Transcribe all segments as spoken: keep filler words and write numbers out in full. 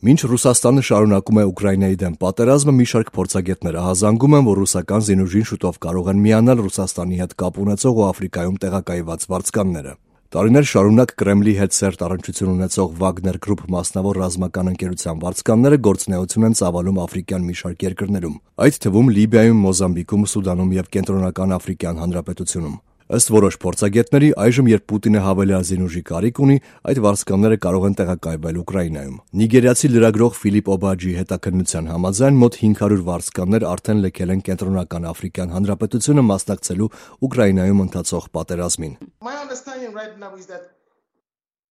Մինչ Ռուսաստանը շարունակում է Ուկրաինայի դեմ պատերազմը, մի շարք փորձագետներ ահազանգում են, որ ռուսական զինուժին շուտով կարող են միանալ Ռուսաստանի հետ կապ ունեցող ու Աֆրիկայում տեղակայված վարձկանները։ Տարիներ շարունակ Կրեմլի հետ սերտ առնչություն ունեցող Վագներ գրուպ մասնավոր ռազմական ընկերության վարձկանները գործունեություն են ծավալում աֆրիկյան մի շարք երկրներում, այդ թվում Լիբիայում, Մոզամբիկում, Սուդանում եւ Կենտրոնական Աֆրիկյան Հանրապետությունում։ Ըստ որոշ փորձագետների, այժմ երբ Պուտինը հավելյալ զինուժի կարիք ունի, այդ վարձկանները կարող են տեղակայվել Ուկրաինայում։ Նիգերիացի լրագրող Ֆիլիպ Օբաջի հետաքննության համաձայն մոտ հինգ հարյուր վարձկաններ արդեն լքել են Կենտրոնական Աֆրիկյան Հանրապետությունը մասնակցելու Ուկրաինայում ընթացող պատերազմին։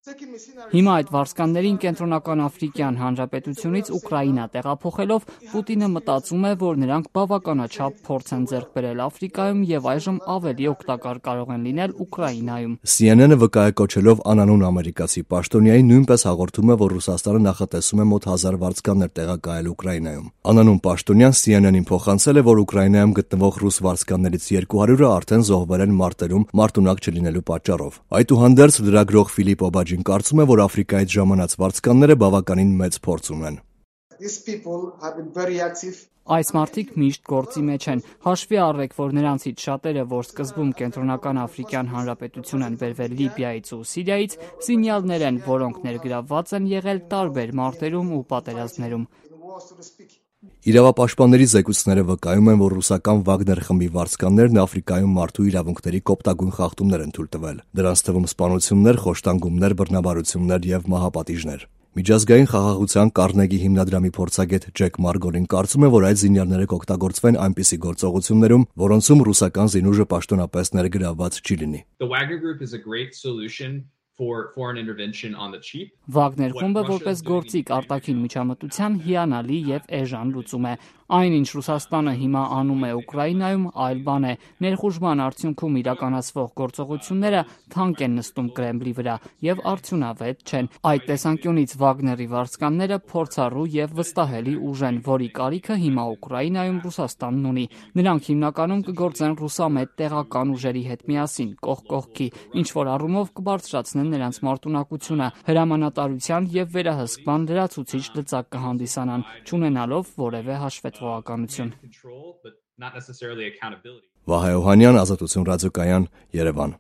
Հիմա այդ վարձկաններին Կենտրոնական Աֆրիկյան Հանրապետությունից Ուկրաինա տեղափոխելով Պուտինը մտածում է, որ նրանք բավականաչափ փորձ են ձեռք բերել Աֆրիկայում եւ այժմ ավելի օգտակար կարող են լինել Ուկրաինայում։ C N N-ը վկայակոչելով անանուն ամերիկացի պաշտոնյայի նույնպես հաղորդում է, որ Ռուսաստանը նախատեսում է մոտ հազար վարձկաններ տեղակայել Ուկրաինայում։ Անանուն պաշտոնյան C N N-ին փոխանցել է, որ Ուկրաինայում գտնվող ռուս վարձկաններից երկու հարյուրը արդեն զոհվել են մարտերում մարտունակ չլինելու պատճառով։ Այդուհանդերձ լրագրող Ֆիլիպ Օբաջին կարծում է, որ Աֆրիկայից ժամանած վարձկանները բավականին մեծ փորձ ունեն։ Այս մարդիկ միշտ գործի մեջ են։ Հաշվի առեք, որ նրանցից շատերը, որ սկզբում Կենտրոնական Աֆրիկյան Հանրապետություն են բերվել Լիբիայից ու Սիրիայից, զինյալներ են, որոնք ներգրավված են եղել տարբեր մարտերում ու պատերազմներում։ Իրավապաշտպանների զեկույցները վկայում են, որ ռուսական Վագներ խմբի վարձկաններն Աֆրիկայում մարդու իրավունքների կոպտագույն խախտումներ են թույլ տվել։ Դրանց թվում սպանություններ, խոշտանգումներ, բռնաբարություններ եւ մահապատիժներ։ Միջազգային խաղաղության Կարնեգի հիմնադրամի փորձագետ Ջեք Մարգոլին կարծում է, որ այդ զինյալները կօգտագործվեն այնպիսի գործողություններում, որոնցում ռուսական զինուժը պաշտոնապես ներգրավված չի լինի։ Վագներ խումբը որպես գործիք արտաքին միջամտության հիանալի եւ էժան լուծում է։ Այն, ինչ Ռուսաստանը հիմա անում է Ուկրաինայում, այլ բան է։ Ներխուժման արդյունքում իրականացվող գործողությունները թանկ են նստում Կրեմլի վրա եւ արդյունավետ չեն։ Այդ տեսանկյունից Վագների վարձկանները փորձառու եւ վստահելի ուժ են, որի կարիքը հիմա Ուկրաինայում Ռուսաստանն ունի։ Նրանք հիմնականում կգործեն ռուսամետ տեղական ուժերի հետ միասին, կողք կողքի, ինչ որ առումով կբարձրացնեն նրանց մարտունակությունը, հրամանատարության եւ վերահսկման լրացուցիչ լծակ կհանդիսանան, չունենալով որևէ հաշվետվողականություն։ Վահե Օհանյան, Ազատություն ռադիոկայան, Երևան։